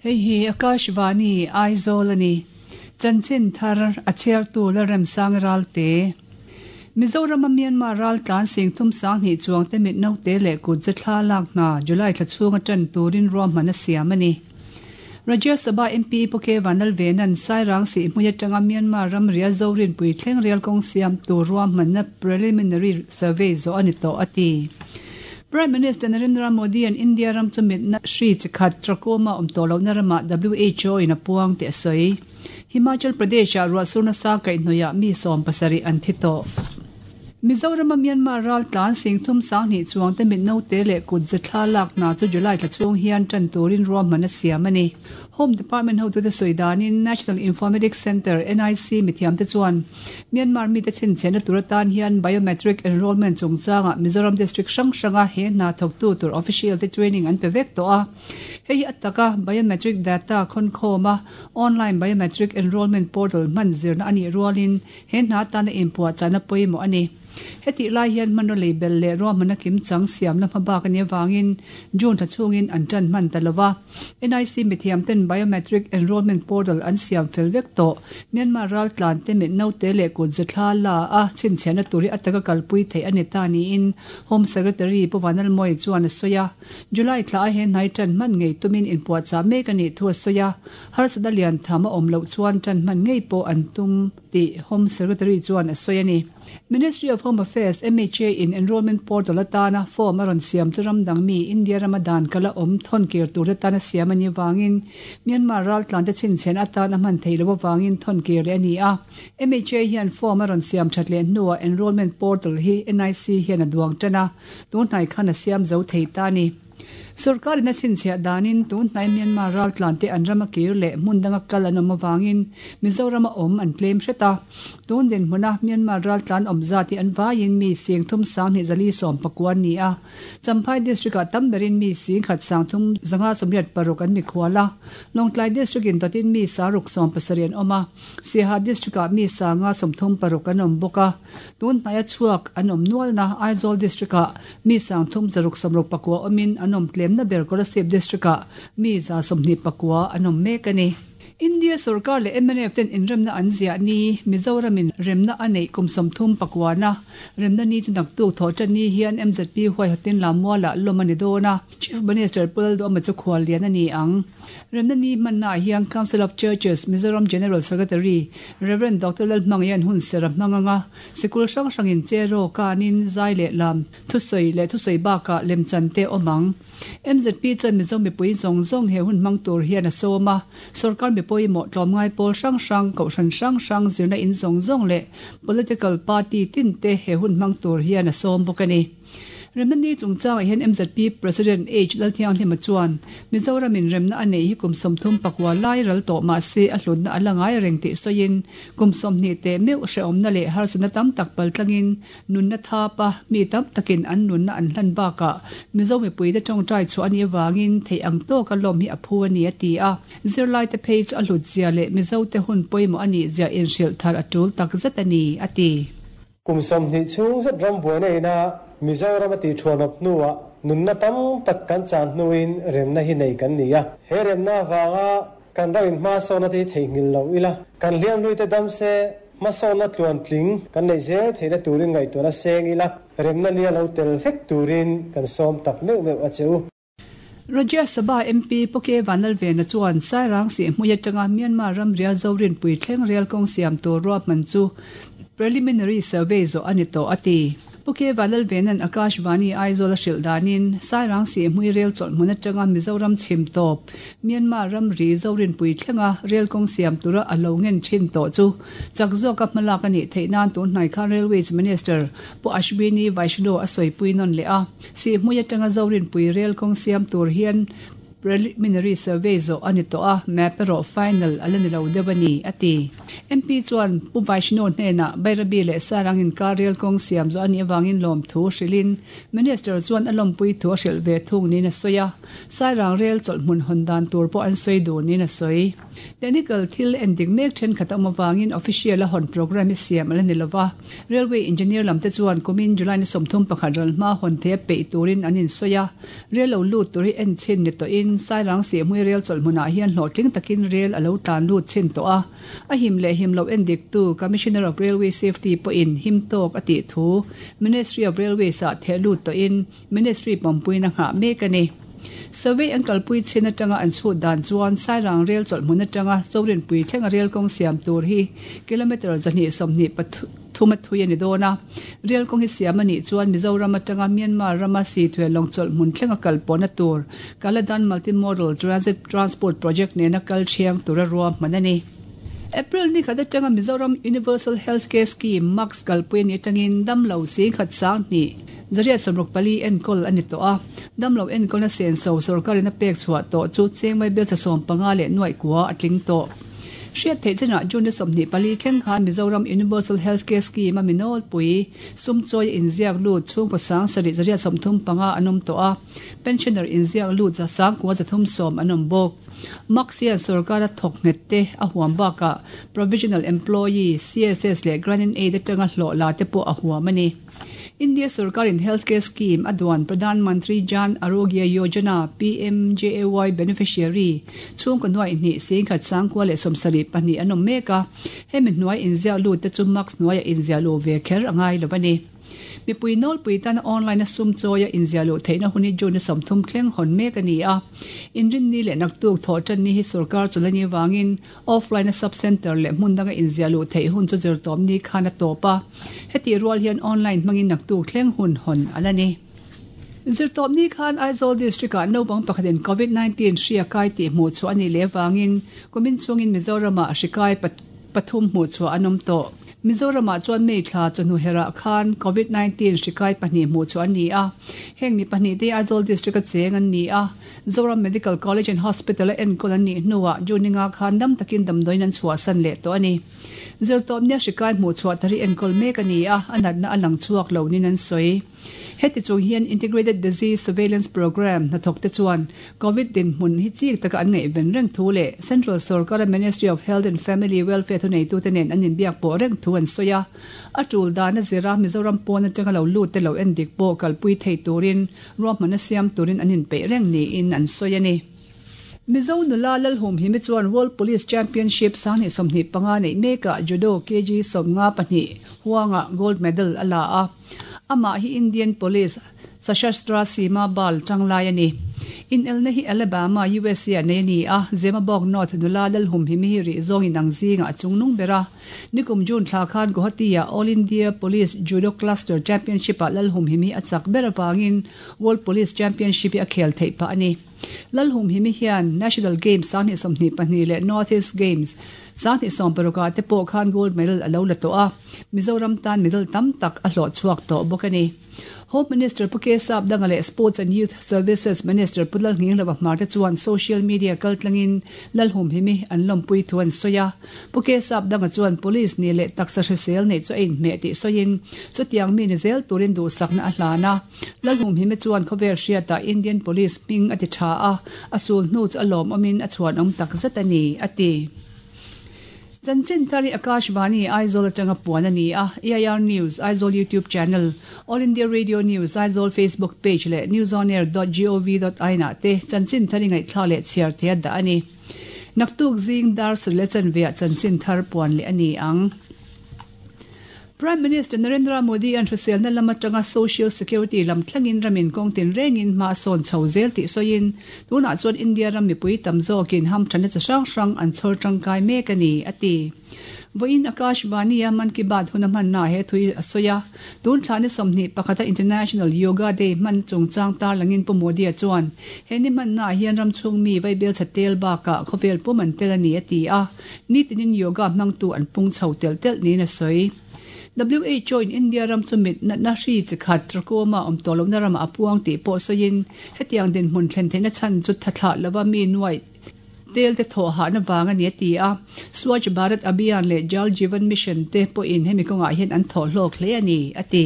Hei hi Akashvani, Aizawl a ni. Chanchin thar a chhiartu Lalremsang Ralte. Mizorama Myanmar raltlan singthum sanghnih chuangte mit naute leh kut ze thla lak hna July thla chhunga tan turin ruahman a siam a ni. Rajya Sabha MP Pu K Vanlalvena'n Sairang Sihhmui atanga Myanmar ram rial Zorinpui thleng rial kawng siam tur ruahmanna preliminary survey zawh a ni tawh a ti. Prime Minister Narendra Modi-a'n India ram chu mitna hri chi khat trachoma awm tawh lohna ramah WHO in a puang tih a sawi. Himachal Pradesh-ah ruahsur nasa kaihhnawihah mi 70 an thi tawh. Mizorama Myanmar raltlan singthum sanghnih chuangte mit naute leh kut ze thla lak hna chu July thla chhung hian tan turin ruahman a siam a ni. Home Department hotute sawi danin National Informatics Centre, NIC, mithiamte chuan Myanmar mite chhinchhiahna tur atan hian Biometric Enrolment chungchangah Mizoram District hrang hranga he hna thawktu tur official te training an pe vek tawh a. Hei hi a taka Biometric Data khawnkhawm a, Online Biometric Enrolment Portal hman zirna a nih rualin He hna atana inpuahchahna pawimawh a ni. Hetih lai hian hmanraw lei belh leh ruahmanna kimchang siamna hmabak a nih avangin June thla chhungin an tan hman ta lo va. NIC mithiamten Biometric Enrolment Portal an siam fel vek tawh. Myanmar raltlante mit naute leh kut zethla la a chhinchhiahna tur hi a taka kalpui theih a ni ta niin Home Secretary Pu Vanlalmawia chuan a sawi a. July thla a he hnai tan hman ngei tumin inpuahchah mek a nih thu a sawi a. Harsatna lian tham a awm loh chuan tan hman ngei pawh an tum tih Home Secretary chuan a sawi a ni. Ministry of Home Affairs, MHA, in enrolment portal atana form a rawn siam chu ram dang mi India rama dan kal a awm thawn kir tur te tan a siam a nih avangin Myanmar raltlante chhinchhian atan a hman theih loh avangin thawn kir leh a ni a. MHA hian form a rawn siam that leh hnuah enrolment portal hi NIC hian a duang tan a, tun hnai khan a siam zo thei ta a ni. Sorkarin a chhinchhiah danin tun hnai Myanmar raltlante an rama kir leh hmun danga kal an awm avangin Mizorama awm an tlem hret a. Tun dinhmuna Myanmar raltlan awm zat hi an vaiin mi sing thum sanghnih zali sawm pakua an ni a. Champhai District-ah tam berin mi sing khat sang thum zanga 86 an mikhual a. Lawngtlai District-in dawtin mi saruk 70 an awm a. Siaha District-ah mi sanga 36 an awm bawk a. Tun hnaia chhuak an awm nualna Aizawl District-ah mi 3669 awmin an awm tlemna ber Kolasib District-ah mi 129 an awm mek a ni. India sorkar leh mnf ten inremna an ziah ni Mizoramin remna a neih kum 39 na remna ni chu naktuk thawh tan ni hian MZP huaihawtin Lammualah lawm a ni dawn a, Chief Minister Pu Lalduhawma chu khuallian a ni ang. Remna ni hmannaah hian Council of Churches Mizoram General Secretary Rev. Doctor Lalhmangaih hun ser a hmang ang a, sikul hrang hrangin che raw kanin zai leh lam thusawi leh thusawi bakah lemchan te awm ang. MZP chuan Mizo mipui zawng zawng he hun hmang tur hian a sawm a, sorkar mipui mawh tlawmngai pawl hrang hrang, kohhran hrang hrang, zirna in zawng zawng leh political party tin te he hun hmang tur hian a sawm bawk a ni. Remna ni chungchangah hian MZP President H Lalthianghlima chuan, Mizoramin remna a neih hi kum 34 lai ral tawh mah se a hlutna a la ngai reng tih sawiin, kum 20 teh meuh hrehawmna leh harsatna tam tak paltlangin nunna thapa mi tam takin an nunna an hlan bakah Mizo mipuite tawngtai chhuah a nih avangin theih ang tawka lawm hi a phu a ni a ti a. Zirlaite phei chu a hlutzia leh Mizote hun pawimawh a nihzia inhrilh thar a tul takzet a ni, a ti. Kum 20 chhung zet ram buaina ina Mizoram a tihthuanawp hnuah nunna tam tak kan chan hnuin remna hi nei kan ni a. He remna avanga kan ram in hmasawnna te hi theihnghilh lo ila, kan hliamhluite dam se hmasawnna tluantling kan neih zel theihna turin ngaihtuahna seng ila, remna nia lo tel vek turin kan sawm tak meuh meuh a che u. Rajya Sabha MP Pu K Vanlalvena chuan Sairang Sihhmui atanga Myanmar ramria Zorinpui thleng rel kawng siam tur ruahman chu preliminary survey zawh a ni tawh a ti. Pu K Vanlalvena'n Akashvani Aizawl a hrilh danin Sairang Sihhmui rel chawlh hmun atanga Mizoram chhim tawp Myanmar ramri Zorinpui thlenga rel kawng siam tura a lo ngen thin tawh chu chak zawka hmalak a nih theih nan tun hnai khan Railways Minister Pu Ashwini Vaishnaw a sawipui nawn leh a. Sihhmui atanga Zorinpui rel kawng siam tur hian preliminary survey zawh a ni tawh a, map erawh final a la ni lo deuh a ni, a ti. MP chuan Pu Vaishnaw hnenah Bairabi leh Sarang inkar rel kawng siam zawh a nih avangin lawmthu hrilhin Minister chuan a lawmpui thu a hrilh ve thung niin a sawi a, Sairang rel chawlh hmun hawn dan tur pawh an sawi dun niin a sawi. Technical thil endik mek thenkhat a awm avangin official a hawn programme hi siam a la ni lova. Railway engineer lam te chuan kumin July ni 31 ral hma hawn thei a peih turin an insawi a, rel lo lut tur hi en chhin ni tawhin. tawhin Sairang Sihhmui Rel chawlhmunah hian hlawhtling takin rel a lo tlan lut chhin tawh a. A him leh him loh endiktu Commissioner of Railway Safety pawhin him tawk a tih thu Ministry of Railways ah theh lut tawhin Ministry pawmpuina nghah mek a ni. Survey an kalpui chhin atanga an chhut dan chuan Sairang rel chawlhmun atanga Zorinpui thlenga rel kawng siam tur hi kilometre 220 pathum a thui a ni dawn a. Rel kawng hi siam a nih chuan Mizoram atanga Myanmar rama Sithuel lawng chawlhmun thlenga kal pawhna tur Kaladan Multimodal Transit Transport Project nena kal thiang tura ruahman a ni. April ni khat atanga Mizoram Universal Health Care Scheme, MUCS, kalpui a nih atangin damlo singkhat sanghnih 164 enkawl a ni tawh a. Damlo enkawlna senso sorkarin a pek chhuah tawh chu chengmai belcha 15 leh nuaih kua a tling tawh. Hriat theih chinah June ni 24 thleng khan Mizoram Universal Health Care Scheme a mi nawlpui sumchawi a inziak lut chhungkaw sang sarih 135 an awm tawh a, pensioner inziak lut 9370 an awm bawk. MUCS hian sorkara thawk nghet te a huam bakah Provisional Employee, CSS leh Grant-in-Aid atanga hlawh la te pawh a huam a ni. India sorkarin Health Care Scheme a duan Pradhan Mantri Jan Arogya Yojana, PMJAY, beneficiary chhungkaw hnuai hnih singkhat sangkua leh 72 an awm mek a, hemi hnuai inziah lut te chu MUCS hnuaiah inziah luh ve kher a ngai lo a ni. Mipui nawlpui tana online a sum chawi a inziah luh theihna hun hi June 30 thleng hawn mek a ni a. Inrinni leh naktuk thawh tanni hi sorkar chawlh a nih avangin offline a sub centre leh hmun danga inziah luh theih hun chu zirtawp ni khan a tawp a. Hetih rual hian online hmangin naktuk thleng hun hawn a la ni. Zirtawp ni khan Aizawl District ah naupang pakhatin Covid 19 hri a kai tih hmuh chhuah a nih leh avangin kumin chungin Mizoram ah hri kai pathum hmuh chhuah an awm tawh. Mizoramah chuan May thla chawhnu herah khan Covid 19 hri kai pahnih hmuh chhuah an ni a. Heng mi pahnih te Aizawl District a cheng an ni a. Zoram Medical College and Hospital a enkawl an nih hnuah June ninga khan dam takin damdawiin an chhuahsan leh tawh a ni. Zirtawp nia hri kai hmuh chhuah tar hi enkawl mek a ni a, a natna a lang chhuak lo niin an sawi. Heti chung hian Integrated Disease Surveillance Programme hnathawk te chuan Covid dinhmun hi chik taka an ngaihven reng thu leh Central sorkara Ministry of Health and Family Welfare thuneitute nen an inbiak pawh reng thu an sawi a. A tul dan a zira Mizoram pawn atanga lo lut te lo endik pawh kalpui thei turin ruahmanna siam turin an inpeih reng niin an sawi a ni. Mizo nula Lalhumhimi chuan World Police Championship 2025 neih mekah Judo kg 52 huangah gold medal a la a. Amah hi Indian Police Sashastra Seema Bal tanglai a ni. Inelna hi Alabama, USA ah nei a ni a, Zemabawk North nula Lalhumhimi hi rih zawng inang zingah a chungnung ber a. Nikum June thla khan Guwahati-ah All India Police Judo Cluster Championship-ah Lalhumhimi a chak ber avangin World Police Championship hi a khel theih phah a ni. Lalhumhimi hian National Games 2022 leh North East Games 2016 ah te pawh khan gold medal a lo la tawh a. Mizoram tan medal tam tak a hlawh chhuak tawh bawk a ni. Home Minister Pu K Sapdanga leh Sports and Youth Services Minister Pu Lalnghinglova Hmar te chuan social media kaltlangin Lalhumhimi an lawmpui thu an sawi a. Pu K Sapdanga chuan Police ni leh taksa hrisel neih chu a inhmeh tih sawiin chutiang mi ni zel turin duhsakna a hlan a. Lalhumhimi chuan khawvel hriatah Indian Police hming a ti tha a, a sul hnu chu a lawmawmin a chhuanawm takzet a ni, a ti. Chanchin thar hi Akashvani, Aizawl atanga puan a ni a, AIR News, Aizawl YouTube channel, All India Radio News, Aizawl Facebook page leh newsonair dot gov dot in ah te chanchin thar i ngaihthlak leh chhiar thei a dah a ni. Naktuk zing dar sarih leh chanveah chanchin thar puan leh a ni ang. Prime Minister Narendra Modi an hriselna lam atanga Social Security lam thlengin ramin kawng tinrengin hma a sawn chho zel tih sawiin, tunah chuan India ram mipui tam zawkin hamthanna chi hrang hrang an chhawr tangkai mek a ni, a ti. Vawiin Akashvani-a Mann Ki Baat hun a hmannaah he thu hi a sawi a. Tun thla ni 21 a International Yoga Day hman chungchang tarlangin Pu Modi-a chuan he ni hmannaah hian ram chhung mi vaibelchhe tel bakah khawvel pum an tel a ni, a ti a. Nitinin yoga hmangtu an pung chho telh telh niin a sawi. WHO in India ram chu mit natna hri chi khat trachoma awm tawh lohna ramah a puang tih pawh sawiin hetiang dinhmun thlen theihna chhan chu tha thlah lova mi nuaih tel te thawh hahna vang a ni a ti a. Swachh Bharat Abhiyan leh Jal Jeevan Mission te pawhin hemi kawngah hian an thawh hlawk hle a ni, a ti.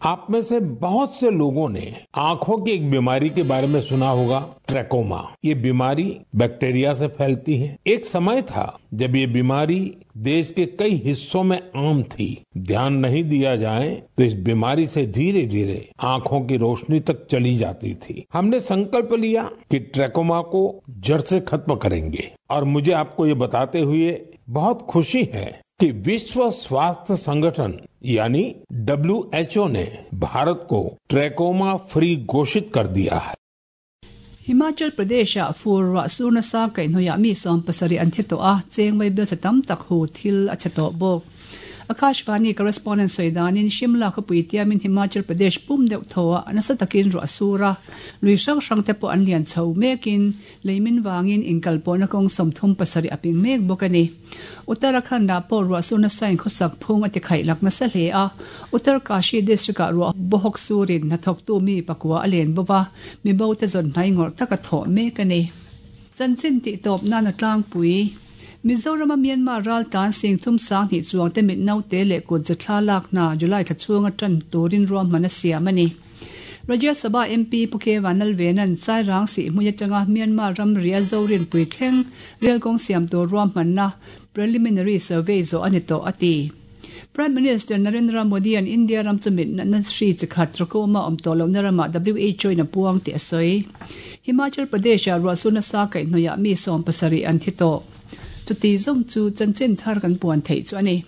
आप में से बहुत से लोगों ने आंखों की एक बीमारी के बारे में सुना होगा, ट्रैकोमा। ये बीमारी बैक्टीरिया से फैलती है। एक समय था जब ये बीमारी देश के कई हिस्सों में आम थी। ध्यान नहीं दिया जाए तो इस बीमारी से धीरे धीरे आंखों की रोशनी तक चली जाती थी। हमने संकल्प लिया कि ट्रैकोमा को जड़ से खत्म करेंगे और मुझे आपको ये बताते हुए बहुत खुशी है कि विश्व स्वास्थ्य संगठन यानी WHO ने भारत को ट्रैकोमा फ्री घोषित कर दिया है। Himachal Pradesh-ah fur ruah sur nasa kaihhnawihah mi 70 an thi tawh a, cheng vaibel che tam tak hu thil a che tawh bawk. Akashvani correspondent sawi danin Shimla khawpui tiamin Himachal Pradesh pum deuh thaw ah nasa takin ruah a sur a, lui hrang hrang te pawh an lian chho mekin leimin vangin inkalpawhna kawng 37 a ping mek bawk a ni. Uttarakhand ah pawh ruah sur nasa in khawsak phung a ti khaih lak nasa hle a, Uttarkashi district ah ruah bawhawk surin hnathawktu mi pakua a len bawk a, mibo te zawn hnai ngawrh tak a thawh mek a ni. Chanchin tih tawp nan a tlangpui. Mizorama Myanmar raltlan singthum 2000 chuangte mit naute leh kut zathla lak hna July thla chhunga tan turin ruahman a siam a ni. Rajya Sabha MP Pu K Vanlalvena'n Chairang Sihhmui atanga Myanmar ramri a Zorinpui thleng rel kawng siam tur ruahmanna preliminary survey zawh a ni tawh a ti. Prime Minister Narendra Modi-a'n India ram chu mit natna hri chi khat trachoma awm tawh lohna ramah WHO in a puang tih a sawi. Himachal Pradesh-ah ruahsur nasa kaihhnawihah mi 70 an thi tawh. Chuti zawng chu chanchin thar kan puan theih chu a ni.